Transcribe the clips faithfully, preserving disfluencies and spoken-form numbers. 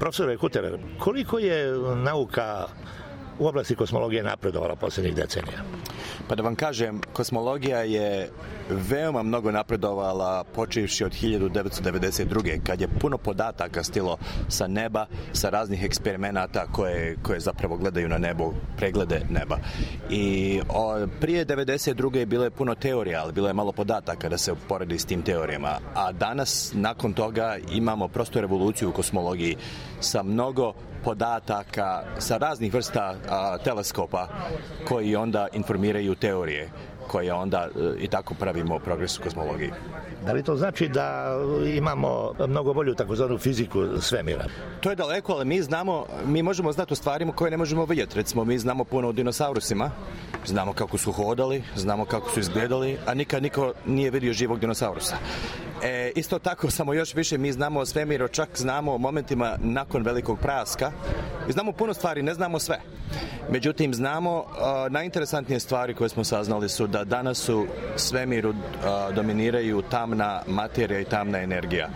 Profesore Kuterer, koliko je nauka u oblasti kosmologije napredovala posljednjih decenija? Pa da vam kažem, kosmologija je veoma mnogo napredovala počevši od hiljadu devetsto devedeset druge. kad je puno podataka stilo sa neba, sa raznih eksperimenata koje, koje zapravo gledaju na nebo, preglede neba. I o, prije devedeset druge je bilo je puno teorija, ali bilo je malo podataka da se uporedi s tim teorijama. A danas, nakon toga, imamo prosto revoluciju u kosmologiji sa mnogo podataka, sa raznih vrsta a, teleskopa koji onda informiraju teorije koje onda i tako pravimo progres u kosmologiji. Da li to znači da imamo mnogo bolju takozvanu fiziku svemira? To je daleko, ali mi znamo, mi možemo znati o stvarima koje ne možemo vidjeti. Recimo, mi znamo puno o dinosaurusima, znamo kako su hodali, znamo kako su izgledali, a nikad niko nije vidio živog dinosaurusa. E, isto tako, samo još više mi znamo o svemiru, čak znamo o momentima nakon velikog praska i znamo puno stvari, ne znamo sve. Međutim, znamo, a, najinteresantnije stvari koje smo saznali su da danas u svemiru a, dominiraju tamna materija i tamna energija.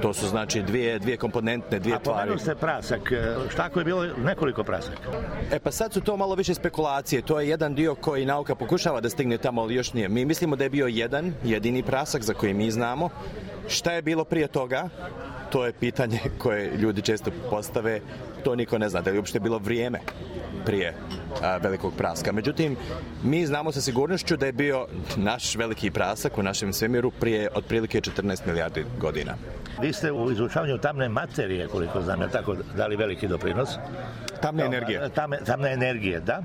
To su znači dvije, dvije komponentne, dvije a tvari. A pomenuo ste prasak, šta ako je bilo nekoliko prasaka? E pa sad su to malo više spekulacije, to je jedan dio koji nauka pokušava da stigne tamo, ali još nije. Mi mislimo da je bio jedan, jedini prasak za koji mi znamo. Šta je bilo prije toga? To je pitanje koje ljudi često postave, to niko ne zna, da je uopšte bilo vrijeme prije a, velikog praska. Međutim, mi znamo sa sigurnošću da je bio naš veliki prasak u našem svemiru prije otprilike četrnaest milijardi godina. Vi ste u izučavanju tamne materije, koliko znam, je tako dali veliki doprinos? Tamne energije. Tamne, tamne energije, da.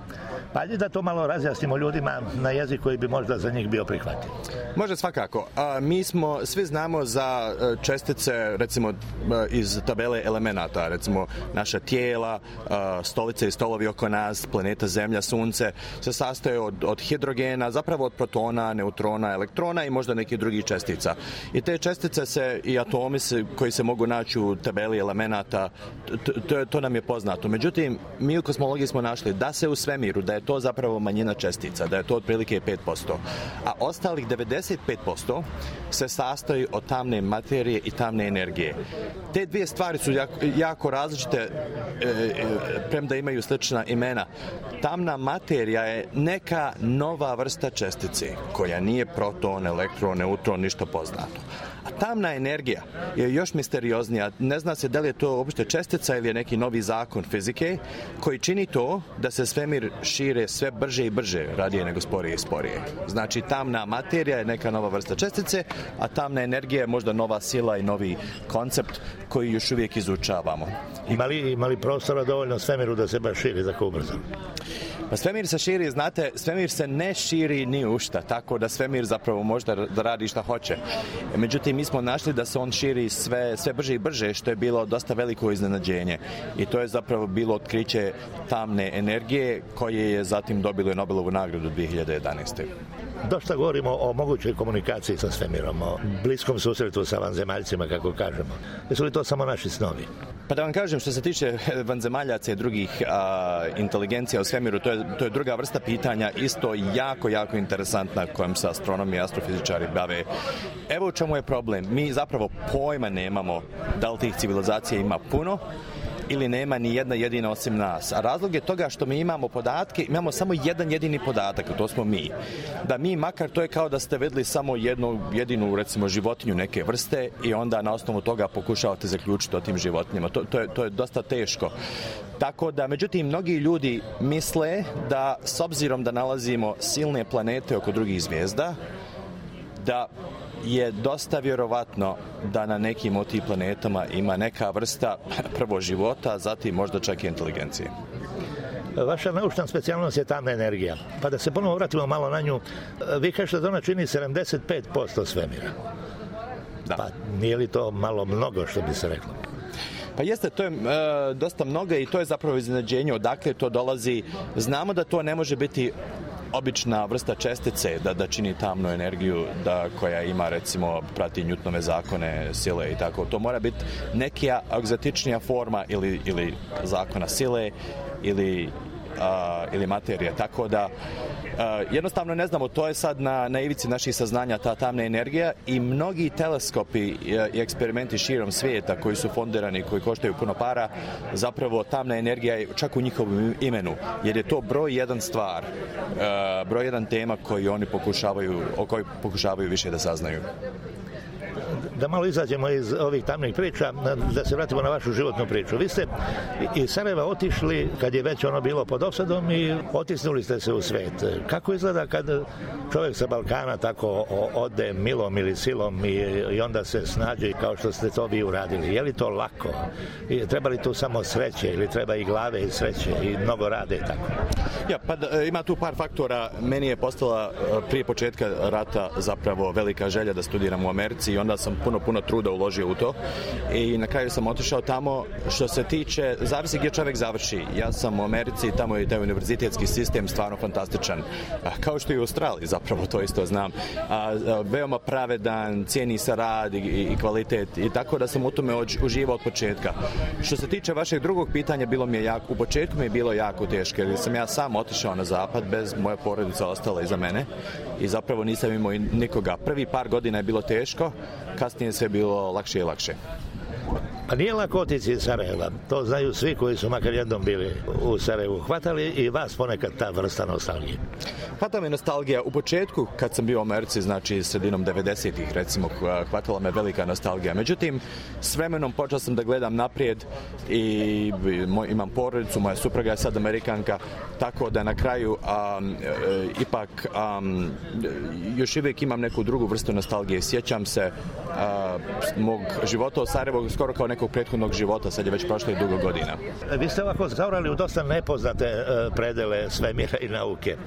Pa je da to malo razjasnimo ljudima na jezik koji bi možda za njih bio prihvatljiv. Može svakako. A, mi smo, svi znamo za čestice, recimo iz tabele elemenata, recimo naša tijela, a, stolice i stolovi oko nas, planeta Zemlja, Sunce, se sastoje od, od hidrogena, zapravo od protona, neutrona, elektrona i možda nekih drugih čestica. I te čestice se i atomi se, koji se mogu naći u tabeli elemenata, to, to, to nam je poznato. Međutim, mi u kosmologiji smo našli da se u svemiru, da je to zapravo manjina čestica, da je to otprilike pet posto. A ostalih devedeset pet posto se sastoji od tamne materije i tamne energije. Te dvije stvari su jako, jako različite, e, e, premda imaju slična imena. Tamna materija je neka nova vrsta čestice, koja nije proton, elektron, neutron, ništa poznato. A tamna energija je još misterioznija. Ne zna se da li je to uopšte čestica ili je neki novi zakon fizike koji čini to da se svemir šire sve brže i brže, radije nego sporije i sporije. Znači, tamna materija je neka nova vrsta čestice, a tamna energija je možda nova sila i novi koncept koji još uvijek izučavamo. Ima li, ima li prostora dovoljno svemiru da se baš širi tako ubrzo? Pa svemir se širi, znate, svemir se ne širi ni u šta, tako da svemir zapravo može da radi šta hoće. Međutim, mi smo našli da se on širi sve, sve brže i brže, što je bilo dosta veliko iznenađenje. I to je zapravo bilo otkriće tamne energije koje je zatim dobilo Nobelovu nagradu dvije hiljade jedanaeste. Dosta govorimo o mogućoj komunikaciji sa svemirom, o bliskom susretu sa vanzemaljcima, kako kažemo. Jesu li to samo naši snovi? Pa da vam kažem, što se tiče vanzemaljaca i drugih a, inteligencija u svemiru, to je, to je druga vrsta pitanja, isto jako, jako interesantna kojom se astronomi i astrofizičari bave. Evo u čemu je problem. Mi zapravo pojma nemamo da li tih civilizacija ima puno ili nema ni jedna jedina osim nas. A razlog je toga što mi imamo podatke, imamo samo jedan jedini podatak, to smo mi. Da mi makar, to je kao da ste vidjeli samo jednu jedinu, recimo, životinju neke vrste i onda na osnovu toga pokušavate zaključiti o tim životinjama. To, to, je, to je dosta teško. Tako da, međutim, mnogi ljudi misle da, s obzirom da nalazimo silne planete oko drugih zvijezda, da je dosta vjerovatno da na nekim od tih planetama ima neka vrsta prvo života, zatim možda čak i inteligencije. Vaša naučna specijalnost je tamna energija. Pa da se ponovo vratimo malo na nju, vi kažete da ona čini sedamdeset pet posto svemira. Da. Pa nije li to malo mnogo, što bi se reklo? Pa jeste, to je e, dosta mnogo i to je zapravo iznenađenje odakle to dolazi. Znamo da to ne može biti obična vrsta čestice da, da čini tamnu energiju da, koja ima, recimo, prati Newtonove zakone sile i tako. To mora biti neka egzotičnija forma ili, ili zakona sile ili a, ili materije. Tako da a, jednostavno ne znamo, to je sad na, na ivici naših saznanja, ta tamna energija, i mnogi teleskopi i, i eksperimenti širom svijeta koji su fondirani, koji koštaju puno para, zapravo tamna energija je čak u njihovom imenu, jer je to broj jedan stvar, a, broj jedan tema koji oni pokušavaju, o kojoj pokušavaju više da saznaju. Da malo izađemo iz ovih tamnih priča, da se vratimo na vašu životnu priču. Vi ste iz Sarajeva otišli kad je već ono bilo pod osadom i otisnuli ste se u svet. Kako izgleda kad čovjek sa Balkana tako ode milom ili silom i, i onda se snađe kao što ste to vi uradili? Je li to lako? I treba li tu samo sreće ili treba i glave i sreće i mnogo rade i tako? Ja, pa da, ima tu par faktora. Meni je postala prije početka rata zapravo velika želja da studiram u Americi i onda sam puno, puno truda uložio u to i na kraju sam otišao tamo. Što se tiče, zavisi gdje čovjek završi. Ja sam u Americi, tamo je taj univerzitetski sistem stvarno fantastičan. Kao što i u Australiji, zapravo to isto znam. A, veoma pravedan, cijeni se rad i, i kvalitet i tako da sam u tome uživao od početka. Što se tiče vašeg drugog pitanja, bilo mi je jako, u početku mi je bilo jako teško jer sam ja sam otišao na zapad, bez moja porodica ostala iza mene i zapravo nisam imao nikoga. Prvi par godina je bilo teško, kasnije sve bilo lakše i lakše. Pa nije lako otići iz Sarajeva, to znaju svi koji su makar jednom bili u Sarajevu. Hvatali i vas ponekad ta vrsta nostalgije? Hvata me nostalgija. U početku, kad sam bio u Americi, znači sredinom devedesetih recimo, hvatala me velika nostalgija. Međutim, s vremenom počeo sam da gledam naprijed i moj, imam porodicu, moja supruga je sad Amerikanka, tako da na kraju um, e, ipak um, još uvijek imam neku drugu vrstu nostalgije. Sjećam se uh, mog života u Sarajevu skoro kao nekog prethodnog života, sad je već prošlo i dugo godina. Vi ste ovako zaorali u dosta nepoznate uh, predele svemira i nauke.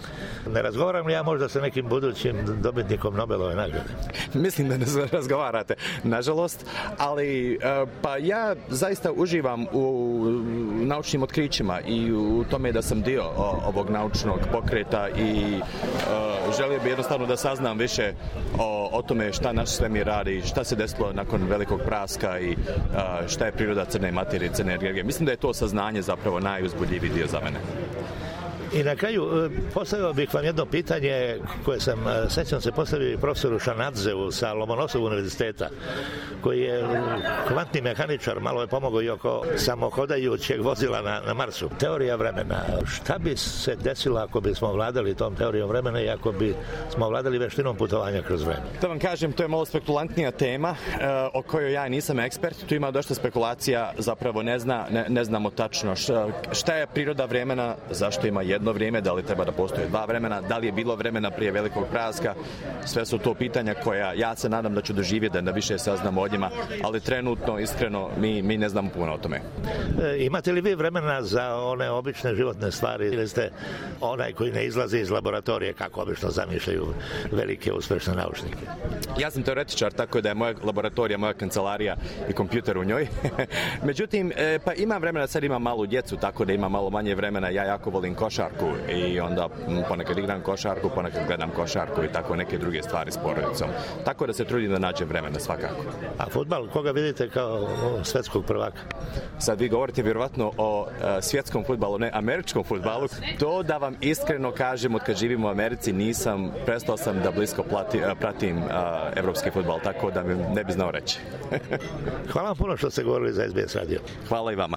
Ne razgovaram li ja možda sa nekim budućim dobitnikom Nobelove nagrade? Mislim da ne razgovarate, nažalost, ali uh, pa ja zaista uživam u naučnim otkrićima i u tome da sam dio o, ovog naučnog pokreta i uh, želio bih jednostavno da saznam više o, o tome šta naš svemir radi, šta se desilo nakon velikog praska i uh, šta je priroda crne materije, crne energije. Mislim da je to saznanje zapravo najuzbudljiviji dio za mene. I na kraju postavio bih vam jedno pitanje koje sam, sećam se, postavio profesoru Šanadzevu sa Lomonosovog univerziteta, koji je kvantni mehaničar, malo je pomogao i oko samohodajućeg vozila na, na Marsu. Teorija vremena. Šta bi se desilo ako bismo vladali tom teorijom vremena i ako bi smo vladali veštinom putovanja kroz vreme? Da vam kažem, to je malo spekulantnija tema e, o kojoj ja nisam ekspert. Tu ima dosta spekulacija, zapravo ne, zna, ne, ne znamo tačno šta, šta je priroda vremena, zašto ima jedno vrijeme, da li treba da postoje dva vremena, da li je bilo vremena prije velikog praska. Sve su to pitanja koja ja se nadam da ću doživjeti, da više saznamo o njima, ali trenutno, iskreno, mi, mi ne znamo puno o tome. E, imate li vi vremena za one obične životne stvari ili ste onaj koji ne izlazi iz laboratorije, kako obično zamišljaju velike uspešne naučnike? Ja sam teoretičar, tako da je moja laboratorija, moja kancelarija i kompjuter u njoj. Međutim, e, pa imam vremena, sad imam malu djecu, tako da imam malo manje vremena. Ja jako volim košarku i onda ponekad igram košarku, ponekad gledam košarku i tako neke druge stvari s porodicom. Tako da se trudim da nađem vremena svakako. A fudbal, koga vidite kao svjetskog prvaka? Sad vi govorite vjerovatno o uh, svjetskom fudbalu, ne američkom fudbalu. To da vam iskreno kažem, od kad živim u Americi nisam, prestao sam da blisko plati, uh, pratim uh, evropski fudbal, tako da mi ne bi znao reći. Hvala vam puno što ste govorili za S B S radio. Hvala i vama.